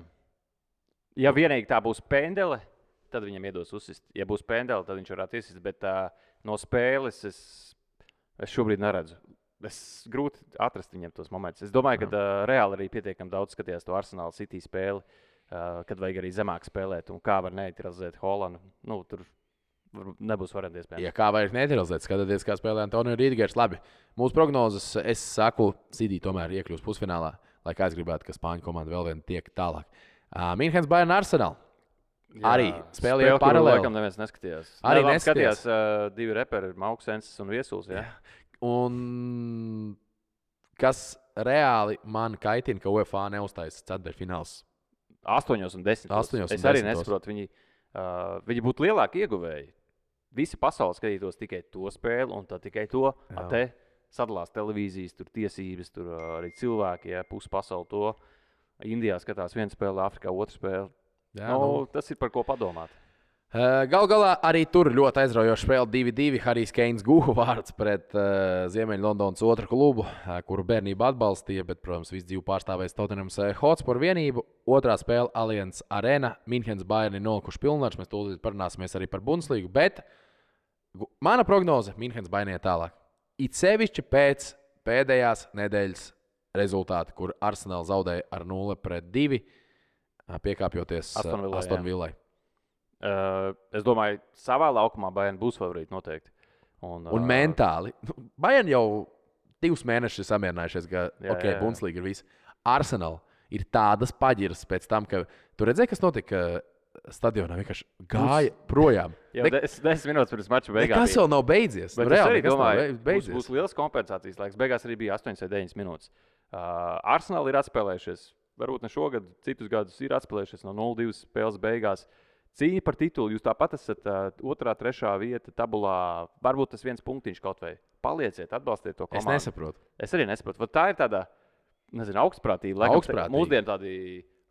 Ja vienīgi tā būs pendele, tad viņam iedos uzsist. Ja būs pendele, tad viņš varētu iesist, bet uh, no spēles es, es šobrīd neredzu. Es grūti atrast viņam tos momentus. Es domāju, ka uh, Reāli arī pietiekami daudz skatījās to Arsenal City spēli. Uh, kad vajag arī zemāk spēlēt, un kā var neutralizēt Hollandu. Nu, tur nebūs varianti iespējams. Ja kā vajag neutralizēt, skatieties, kā spēlē Antonio Rīdigers. Labi, mūsu prognozes, es saku, City tomēr iekļūs pusfinālā, lai kā es gribētu, ka Spāņu komanda vēl vien tiek tālāk. Uh, Minhens Bayern Arsenal. Jā, arī spēlēja paralēli. Laikam neviens neskatījās. Arī ne, neskatījās. Skatījās uh, divi reperi, Mauks Ensis un Viesuls. Jā. Un kas reāli man kaitina, ka U E F A neuztaisa ceturtdaļfināls. Astoņos un desmitos. Astoņos un es arī desmitos. nesaprotu. Viņi, uh, viņi būtu lielāki ieguvēji. Visi pasauli skatītos tikai to spēli, un tad tikai to. A, te sadalās televīzijas, tur tiesības, tur uh, arī cilvēki, ja, pusi pasauli to. Indijā skatās viena spēle, Afrikā otra spēle. Jā, nu, nu, tas ir par ko padomāt. Galu galā arī tur ļoti aizraujoši spēle divi divi. Harijs Keins guva vārds pret uh, Ziemeļlondonas otru klubu, uh, kuru bērnību atbalstīja, bet, protams, visu dzīvi pārstāvēs Tottenhams Hotspur vienību. Otrā spēle Allianz Arena, Minhenes Bayern ir nolikuši pilnvars. Mēs tūlīt parunāsimies arī par Bundeslīgu, bet mana prognoze Minhenes Bayern iet tālāk. It sevišķi pēc pēdējās nedēļas rezultāti, kur Arsenal zaudēja ar nulle pret divi, piekāpjoties Aston Villai. Uh, es domāju, savā laukumā Bayern būs favorīti noteikti. Un, un uh, mentāli. Bayern jau divus mēnešus samierinājušies, ka jā, ok, Bundeslīga ir viss. Arsenal ir tādas paģiras pēc tam, ka tu redzēji, kas notika stadionā. Vienkārši gāja būs... projām. Jau des, desmit minūtes pirms mača beigās. Nekas vēl nav beidzies. Bet nu, reāli, es arī domāju, beidzies. Būs, būs liels kompensācijas laiks. Beigās arī bija astoņas vai deviņas minūtes. Uh, Arsenal ir atspēlējušies. Varbūt ne šogad, citus gadus ir atspēlējušies no nulle divi spēles beigās. Cīņa par titulu. Jūs tāpat esat uh, otrā, trešā vieta tabulā. Varbūt tas viens punktiņš kaut vai. Palieciet, atbalstiet to komandu. Es nesaprotu. Es arī nesaprotu. Vat tā ir tāda, nezinu, augstprātība. Augstprātība. Mūsdien tādi,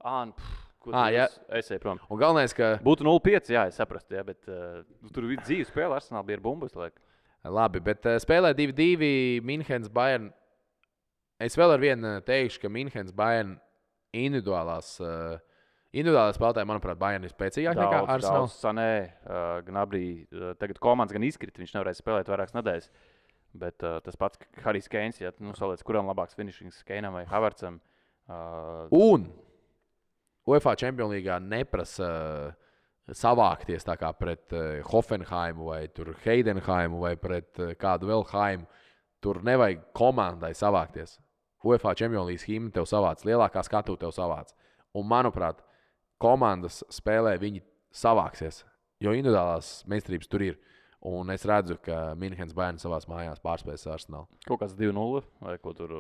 ā, pff, ko ah, jā. Es eju prom. Un galvenais, ka... Būtu nulle pieci, jā, es saprastu, jā, bet uh, tur bija dzīves spēle, Arsenal bija ar bumbas, laik. Labi, bet uh, spēlē divi divi Minhenes Bayern. Es vēl ar vienu teikšu, ka Minhenes Bayern individuālās... Uh, Individuālā spēlētāja, manuprāt, Bayern ir spēcīgāk nekā Arsenal. Daudz Sanē, uh, Gnabry, uh, tagad komandas gan izkrita, viņš nevarēja spēlēt vairākas nedēļas. Bet uh, tas pats Harijs Keins, ja nu saliec, kuram labāks finishings Keinam vai Havertzam. Uh, Un UEFA Champions Leagueā neprasa uh, savākties tā kā pret uh, Hoffenheimu vai tur Heidenheimu vai pret uh, kādu vēl Haimu. Tur nevajag komandai savākties. UEFA Champions League himna tev savāc, lielākā skatu tev savāc. Un, manuprāt, komandas spēlē viņi savāksies, jo individuālās meistarības tur ir. Un es redzu, ka Minhenes Bayern savās mājās pārspēs Arsenal. Kaut kāds divi nulle vai ko tur?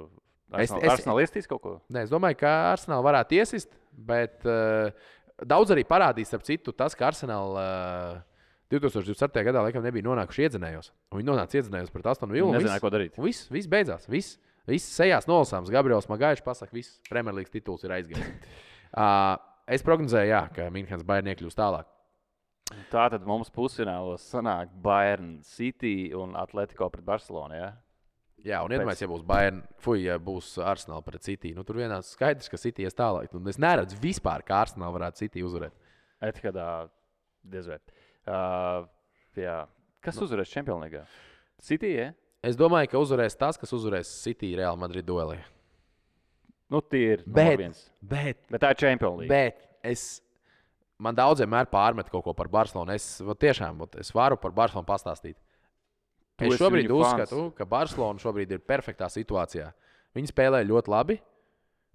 Arsenal, es, es, Arsenal iestīs kaut ko? Nē, es domāju, ka Arsenal varētu iesist, bet uh, daudz arī parādīs, ap citu, tas, ka Arsenal uh, divi tūkstoši divdesmit septītajā gadā laikam nebija nonākuši iedzinējos. Un viņi nonāca iedzinējos pret Aston Villu. Nezināja, ko darīt. Viss, viss beidzās. Viss, viss sejās nolasāms. Gabriels Magaišs pasaka, viss Premjerlīgas tituls ir aizgājis. uh, Es prognozēju, jā, ka Minhenes Bayern iekļūs tālāk. Tā tad mums pusfinālos sanāk Bayern City un Atletico pret Barcelonu, jā? Jā, un iedomājies, ja būs Bayern, fuj, ja būs Arsenal pret City. Nu, tur vienās skaidrs, ka City ies tālāk. Un es neredzu vispār, kā Arsenal varētu City uzvarēt. Etikadā diez vai. Uh, jā. Kas nu, uzvarēs Champions League? City, jā? Es domāju, ka uzvarēs tas, kas uzvarēs City Real Madrid duelī. Nu, tie ir bet, viens. Bet, bet tā ir Champions League. Bet es, man daudziem mēr pārmet kaut ko par Barcelonu. Es tiešām es varu par Barcelonu pastāstīt. Tu es šobrīd uzskatu, fans. Ka Barcelona šobrīd ir perfektā situācijā. Viņi spēlē ļoti labi.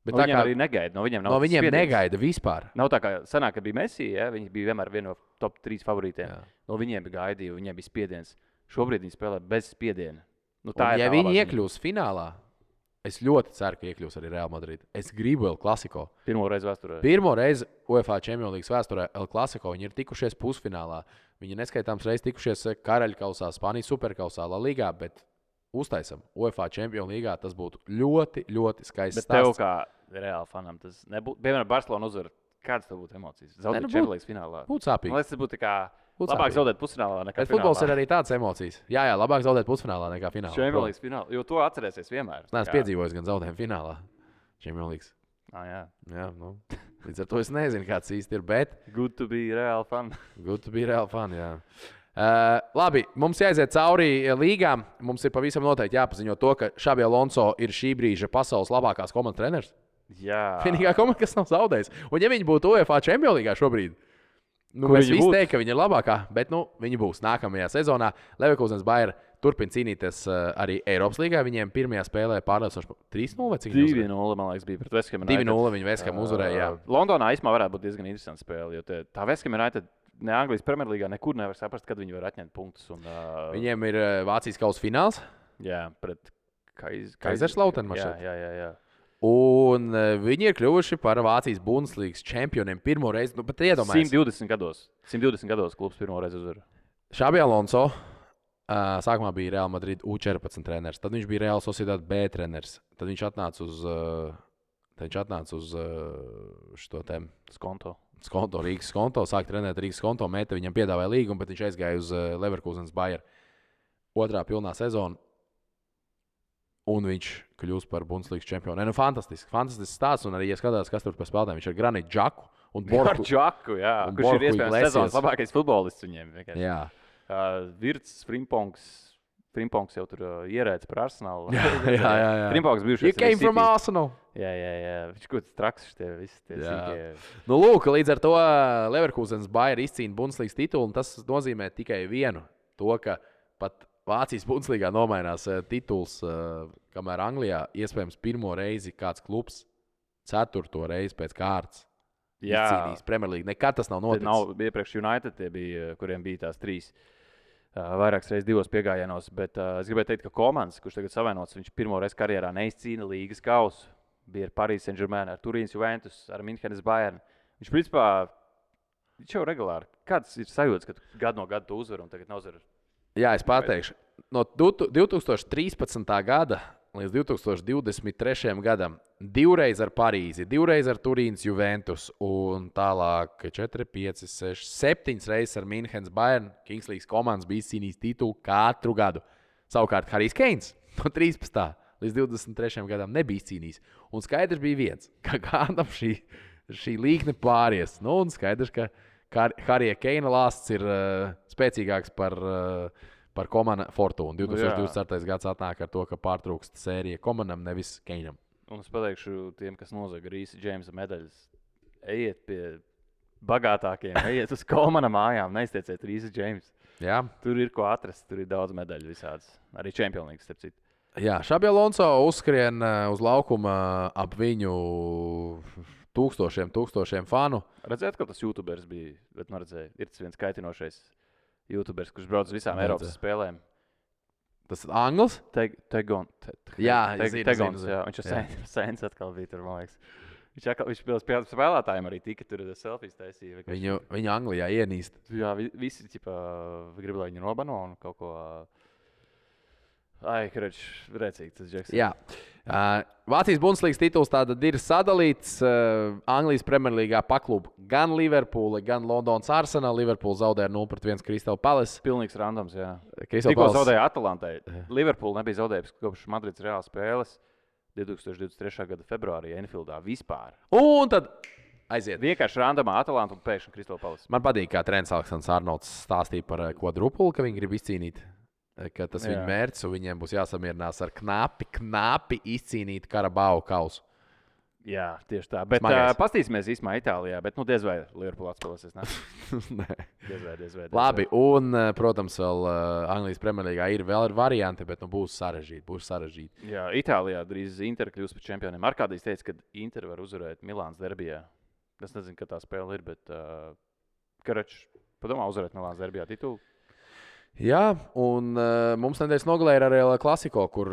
Bet no tā viņiem kā, arī negaida. No viņiem, nav no viņiem spiediens. negaida vispār. Nav tā kā senāk, kad bija Messi, ja? Viņi bija vienmēr viena no top trīs favorītiem. Jā. No viņiem bija gaidīja, viņiem bija spiediens. Šobrīd viņi spēlē bez spiediena. Nu, tā un, ir ja tā viņi labāk. iekļūs finālā, es ļoti ceru, ka iekļūs arī Real Madrid. Es gribu El Clasico. Pirmo reizi vēsturē. Pirmo reizi UEFA Champions League vēsturē El Clasico. Viņi ir tikušies pusfinālā. Viņi neskaitāms reizes tikušies Karaļkausā, Spānijas superkausā, La Ligā, bet uztaisam UEFA Champions League. Tas būtu ļoti, ļoti skaists stāsts. Bet tev kā Reāli fanam tas nebūtu. Piemēram, Barcelona uzvar. Kādas tev būtu emocijas? Zaudēt nu, Champions League finālā. Būtu sāpīgi. Man liekas, tas būtu kā Būtu labāk sāpīgi. zaudēt pusfinālā nekā bet finālā. Futbols ir arī tādas emocijas. Jā, jā, labāk zaudēt pusfinālā nekā finālā. Champions League finālā, jo to atcerēsies vienmēr. Es neesmu piedzīvojis gan zaudējumu finālā. Champions League. Ah, jā. Jā, nu, līdz ar to es nezinu, kāds īsti ir, bet good to be real fan. Good to be real fan, jā. Uh, labi, mums jāiziet cauri līgām. Mums ir pavisam noteikti jāpaziņo to, ka Xabi Alonso ir šī brīža pasaules labākās komandas treneris. Jā. Vienīgā komanda, kas nav zaudējusi. Un ja viņi būtu UEFA Champions League šobrīd, nu, mēs visi teiktu, ka viņi ir labākā, bet nu, viņi būs nākamajā sezonā. Leverkusens Bayern turpina cīnīties uh, arī Eiropas līgā. Viņiem pirmajā spēlē pārliecinoši trīs nulle vai cik? divi nulle, man liekas, bija pret West Ham United. divi nulle viņi West Ham uzvarēja. Uh, Londonā īstenībā varētu būt diezgan interesanta spēle, jo te, tā West Ham United ne Anglijas Premjerlīgā nekur nevar saprast, kad viņi var atņemt punktus. Un, uh, Viņiem ir uh, Vācijas kausa fināls. Jā, pret Kaiz... Kaiserslautern. Jā, jā, jā, jā. Un uh, viņi ir kļuvuši par Vācijas Bundeslīgas čempioniem pirmo reizi. Nu, pat iedomājies. simt divdesmit gados. simt divdesmit gados klubs pirmo reizi uzvar. Xabi Alonso uh, sākumā bija Real Madrid U četrpadsmit treneris, tad viņš bija Real Sociedad B treneris. Tad viņš atnāca uz, uh, tad viņš atnāca uz uh, šo tēmu. Skonto. skonto, Rīgas skonto, sāk trenēt Rīgas skonto, Meta viņam piedāvāja līgumu, bet viņš aizgāja uz uh, Leverkusenas Bayer otrā pilnā sezona. Un viņš kļūst par Bundeslīgas čempionu. Nu, fantastiski, fantastisks stāsts. Un arī, ja skatās, kas tur par spēlētājiem, viņš ir Granit Džaku un Borku. Džaku, jā. Kurš Borku ir iespējams Iglesias. sezonas labākais futbolists viņiem. Vienkārši. Jā. Uh, Virts, Frimpongs. Frimpongs jau tur uh, ierēdz par Arsenalu. Jā, jā, jā, jā. Frimpongs bijušies You came from Arsenal. Jā, jā, jā. Viņš kaut kāds traks šitie visi tie sīkie. Nu, lūk, līdz ar to Leverkusenas Bayer izcīna Bundeslīgas titulu, un tas nozīmē tikai vienu. To, ka pat Vācijas Bundeslīgā nomainās uh, tituls, uh, kamēr Anglijā iespējams pirmo reizi kāds klubs ceturto reizi pēc kārtas izcīnījis Premjerlīgu. Nekad tas nav noticis. Nav, iepriekš United tie bija, kuriem bija tās trīs. Vairākas reizes divos piegājienos, bet uh, es gribēju teikt, ka Komans, kurš tagad savainots, viņš pirmo reizi karjerā neizcīna līgas kausu. Bija ar Paris Saint-Germain, ar Turīnas Juventus, ar Minhenes Bayern. Viņš principā, viņš jau regulāri. Kāds ir sajūtas, ka gadu no gada tu uzvar un tagad neuzvar? Jā, es pateikšu. No divi tūkstoši trīspadsmitā gada līdz divi tūkstoši divdesmit trešajam gadam divreiz ar Parīzi, divreiz ar Turīnas Juventus un tālāk četri, pieci, seši, septiņas reizes ar Minhenes Bayern. Kingslīgas komandas bija izcīnījis titulu katru gadu. Savukārt Harijs Keins no trīspadsmitā līdz divdesmit trešajam gadam nebija izcīnījis. Un skaidrs bija viens, ka kādam šī, šī līkne pāries. Nu, un skaidrs, ka Harija Keina lāsts ir uh, spēcīgāks par, uh, par Komana Fortūnu. divi tūkstoši divdesmit ceturtais gads atnāk ar to, ka pārtrūkst sērija Komanam, nevis Keinam. Un es pateikšu tiem, kas nozaga Rīsa Džeimsa medaļas. Ejiet pie bagātākiem, ejiet uz Komana mājām, neiztieciet Rīsa Džeimsa. Jā. Tur ir ko atrast, tur ir daudz medaļu visādas. Arī čempionlīgas, starp citu. Jā, Šabi Alonso uzskrien uz laukuma ap viņu tūkstošiem, tūkstošiem fanu. Redzēt, ka tas YouTubers bija, bet nu redzēju, ir tas viens kaitinošais YouTubers, kurš brauc uz visām Eiropas spēlēm. Tas ir Anglis? Tegon. Jā, Tegons, jā. Viņš jau sēns atkal bija tur, man liekas. Viņš atkal, viņš pie spēlētājiem arī tika tur selfijas taisīja. Viņu, viņu Anglijā ienīst. Jā, visi, ķipa, grib, lai viņu nobano un kaut ko... Ai, karoč, rēcīgi tas Džeks. Jā. Uh, Vācijas Bundeslīgas tituls tātad ir sadalīts uh, Anglijas Premjerlīgā paklub gan Liverpoola, gan Londonas Arsenal. Liverpool zaudēja nulle pret viens Crystal Palace. Pilnīgs randoms, jā. Crystal Tikko Palace zaudēja Atalantai. Liverpool nebija zaudējis kopš Madrids Reāls spēles divi tūkstoši divdesmit trešā gada februārī Enfieldā vispār. Un tad aiziet. Vienkārši randomā Atalanta un pēkšņi Crystal Palace. Man patīk, kā treneris Aleksandrs Arnolds stāstīja par kvadrupulu, ka viņi grib izcīnīt. Ka tas ir viņa mērķis, un viņiem būs jāsamierinās ar knapi, knapi izcīnīt Karabau kausu. Jā, tieši tā. Bet uh, pastīsimies īstenībā Itālijā, bet nu diez vai Liverpool atspēlēsies. Nē, diez vai, diez vai. Diez labi, vai. Un, protams, vēl uh, Anglijas Premjerlīgā ir vēl ir varianti, bet nu, būs sarežģīti. Būs sarežģīti. Jā, Itālijā drīz Inter kļūs par čempioniem. Arkādijs teica, ka Inter var uzvarēt Milānas derbijā. Es nezinu, ka tā spēle ir, bet uh, Karač, padomā uzvarēt Milānas derbijā titulu. Jā, un uh, mums nedēļas nogalē ir arī Klasiko, kur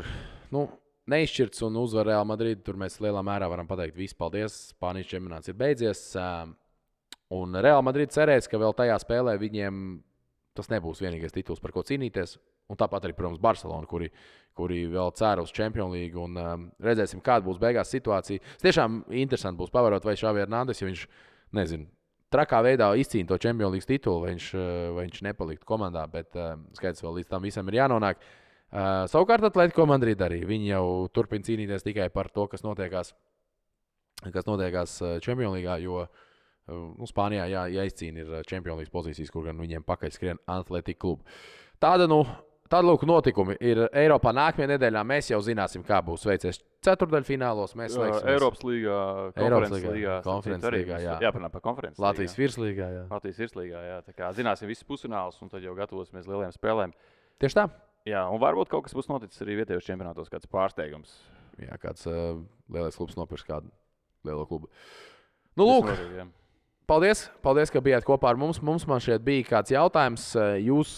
nu, neizšķirts un uzvar Real Madrid. Tur mēs lielā mērā varam pateikt, viss paldies, Spānijas čempionāts ir beidzies. Uh, un Real Madrid cerēs, ka vēl tajā spēlē viņiem tas nebūs vienīgais tituls, par ko cīnīties. Un tāpat arī, protams, Barcelona, kuri, kuri vēl cer uz Champions League. Un, um, redzēsim, kāda būs beigās situācija. Es tiešām interesanti būs pavērot, vai Xavi Hernandez, jo viņš, nezinu, trakā veidā izcīna to Champions League titulu, vai viņš, vai viņš nepaliktu komandā, bet uh, skaidrs vēl līdz tam visam ir jānonāk. Uh, savukārt Atletico Madrid arī. Viņi jau turpina cīnīties tikai par to, kas notiekās, kas notiekās Champions League, jo uh, nu, Spānijā jā, jāizcīna ir Champions League pozīcijas, kur gan viņiem pakaļ skrien Atletico klubu. Tāda, nu, tāda lūk notikumi ir Eiropā nākamajā nedēļā. Mēs jau zināsim, kā būs veicies ceturtdaļfinālos. Mēs slēgsimies Eiropas līgā, konferences līgā. Konferences līgā, jā. Jāparunā par konferences līgā. Latvijas virslīgā, jā. Latvijas virslīgā, jā. Tā kā zināsim visus pusfinālus un tad jau gatavosimies lieliem spēlēm. Tieši tā. Jā, un varbūt kaut kas būs noticis arī vietējos čempionātos, kāds pārsteigums. Jā, kāds uh, lielais klubs nopirks kādu lielo klubu. Nu, lūk. Notiek, Paldies, paldies, ka bijāt kopā ar mums. Mums man šeit bija kāds jautājums. Jūs,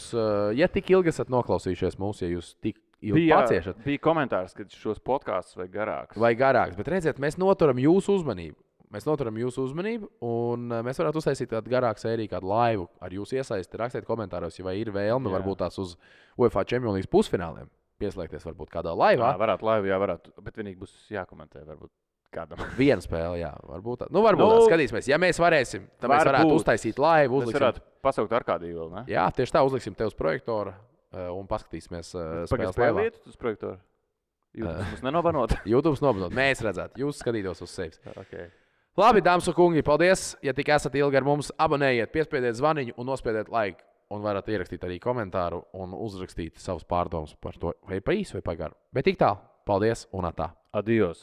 ja tik ilgi esat noklausījušies mūs, ja jūs tik ilgi bija, paciešat. Bija komentārs, ka šos podkāstus vai garāks. Vai garāks, bet redziet, mēs noturam jūsu uzmanību. Mēs noturam jūsu uzmanību, un mēs varētu uztaisīt kādu garāku sēriju, kādu laivu ar jūsu iesaisti. Rakstiet komentāros, ja vai ir vēlme, jā. Varbūt tās uz UEFA Champions League pusfināliem pieslēgties varbūt kādā laivā. Jā, varētu laivu, jā, varētu, bet vienīgi būs jākomentē varbūt. Kādam. Viena spēle, jā, varbūt. Tā. Nu, varbūt Nu, tā, skatīsimies. Ja mēs varēsim, tad mēs varētu varbūt. uztaisīt laivu. Mēs varētu pasaukt ar kādī vēl, ne? Jā, tieši tā, uzliksim tev uz projektora uh, un paskatīsimies uh, Pagaid spēles laivā. spēlīt uz projektoru? YouTube mums nenobanot? YouTube nobanot. Mēs redzētu, jūs skatītos uz sevis. Okay. Labi, dāmas un kungi, paldies. Ja tik esat ilgi ar mums, abonējiet, piespiediet zvaniņu un nospiediet like. Un varat ierakstīt arī komentāru un uzrakstīt savus pārdomus par to, vai pa īsu vai pa garu. Bet tik tālu. Paldies un atā. Adios.